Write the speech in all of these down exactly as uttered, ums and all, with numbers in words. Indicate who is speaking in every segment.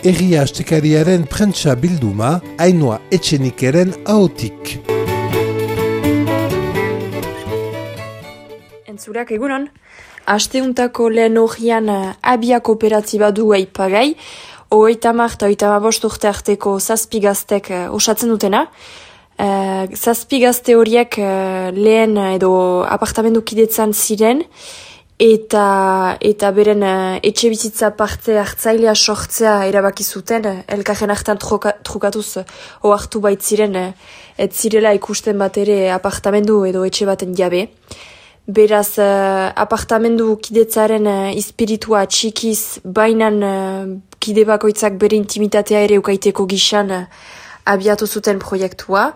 Speaker 1: Herria Astekariaren prentsa bilduma, Ainhoa Etxenikeren ahotik.
Speaker 2: Entzurak egunon, asteuntako lehen horian abia kooperatiba du aipagai, hogeita hamar eta hogeita hamabost urte arteko zazpi gaztek osatzen dutena. Uh, zazpi gazte horiek uh, lehen edo apartamendu kidetzan ziren, eta eta beren uh, etxe bizitza parte hartzailea sortzea erabaki zuten, uh, elkarren hartan truka, trukatuz uh, ohartu baitziren uh, ez zirela ikusten bat ere apartamendu edo etxe baten jabe. Beraz, uh, apartamendu kidetzaren uh, espiritua txikiz, bainan uh, kide bakoitzak bere intimitatea ere ukaiteko gixan uh, abiatu zuten proiektua,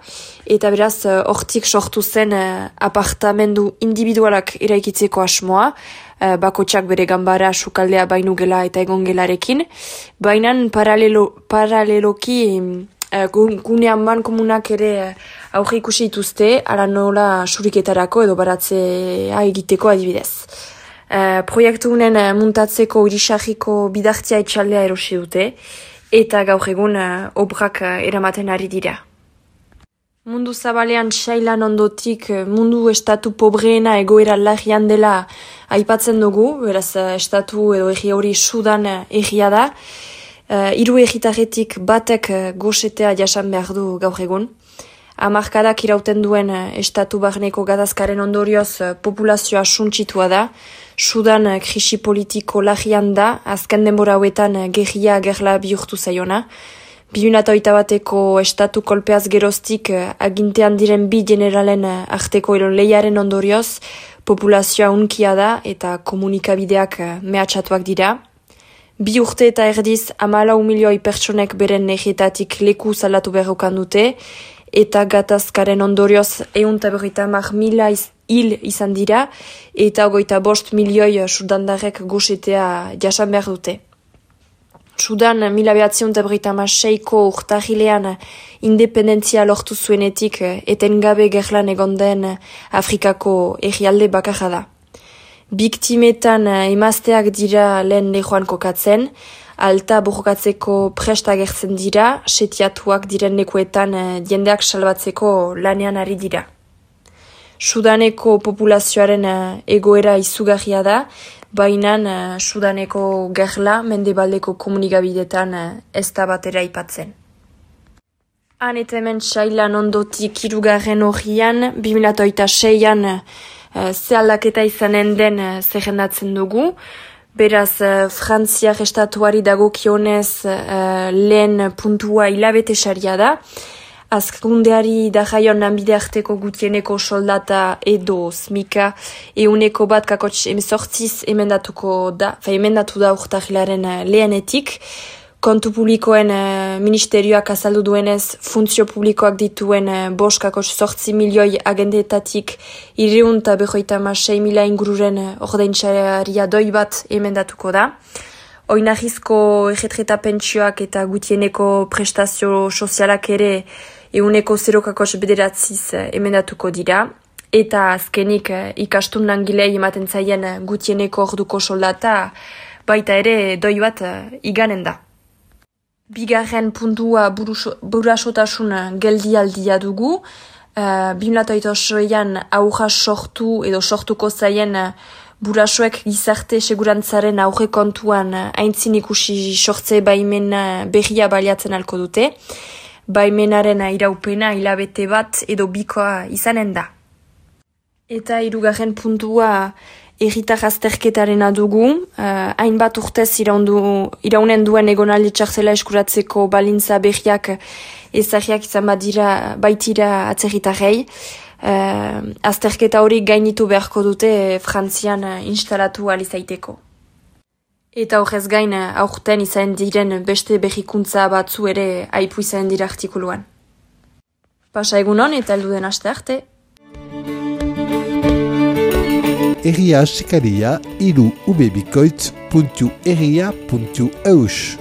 Speaker 2: eta beraz, hortik uh, sortu zen uh, apartamendu individualak eraikitzeko asmoa, uh, bakotxak bere gambara, sukaldea, bainugela eta egongelarekin, bainan paralelo, paraleloki uh, gunean man komunak ere uh, aurre ikusi dituzte, ara nola suriketarako edo baratzea egiteko adibidez. Uh, proiektu unen uh, muntatzeko irisarriko bidartzea etxaldea erosi dute, eta gaur egun uh, obrak uh, eramaten ari dira. Mundu zabalean sailan ondotik mundu estatu pobreena egoera larrian dela aipatzen dugu, beraz uh, estatu edo erri hori Sudan uh, erria da. Uh, hiru erritarretik batek uh, gosetea jasan behar du gaur egun. Hamarkadak irauten duen uh, estatu barneko gatazkaren ondorioz uh, populazioa suntsitua da. Sudan uh, krisi politiko larrian da, azken denbora hauetan uh, gerria gerla bihurtu zaiona. Biunata bateko estatu kolpeaz geroztik uh, agintean diren bi generalen uh, arteko eron lehiaren ondorioz, populazioa unkia da eta komunikabideak uh, mehatxatuak dira. Bi urte eta erdiz hamalau milioi pertsonek beren negietatik leku salatu berrokan dute, eta gatazkaren ondorioz ehun eta berrogeita hamar mila hil izan dira, eta hogeita bost milioi sudandarrek gosetea jasan behar dute. Sudan mila behatziehun eta berrogeita hamaseiko urtarrilean independentzia lortu zuenetik etengabe gerlan egon den Afrikako herrialde bakarra da. Biktimetan emazteak dira lehen lehoan kokatzen, alta borrokatzeko prest agertzen dira, setiatuak diren lekuetan jendeak salbatzeko lanean ari dira. Sudaneko populazioaren egoera izugarria da, baina Sudaneko gerla mendebaldeko komunikabidetan ez da batera aipatzen. Han eta hemen sailan ondotik hirugarren horian, bi mila hogeita seian ze aldaketa izanen den zerrendatzen dugu. Beraz, Frantziak estatuari dagokionez uh, lehen puntua hilabete saria da. Azkundeari da jaion lanbide arteko gutieneko soldata edo smika euneko bat kakotx emezortziz emendatuko da, fa emendatu da urtarrilaren lehenetik. Kontu publikoen uh, ministerioak azaldu duenez, funtzio publikoak dituen uh, bost kakotx sortzi milioi agendeetatik irreun eta berroita masei mila ingururen uh, ordaintzaria doi bat emendatuko da. Oinarrizko erretreta pentsioak eta gutieneko prestazio sozialak ere euneko zero kakotx bederatziz uh, emendatuko dira. Eta azkenik uh, ikastun langilei ematen zaien uh, gutieneko orduko soldata baita ere doi bat uh, iganen da. Bigarren puntua burasotasun geldialdia dugu. Uh, bi mila hogeita zortzian aurra sortu edo sortuko zaien uh, burasoek gizarte segurantzaren aurre kontuan uh, aintzin ikusi sortze baimena berria baliatzen alko dute. Baimenaren iraupena hilabete bat edo bikoa izanen da. Eta hirugarren puntua erritar azterketarena dugu, uh, hainbat urtez iraundu, iraunen duen egonaldi txartzela eskuratzeko balintza berriak ezagriak izan badira baitira atzerritarrei. Uh, azterketa hori gainitu beharko dute Frantzian uh, instalatu alizaiteko. Eta horrez gain aurten izan diren beste berrikuntza batzu ere aipu izan dira artikuluan. Pasa egunon eta heldu den aste arte.
Speaker 1: Herria Astekaria hiru ubebikoitz puntu herria puntu eus.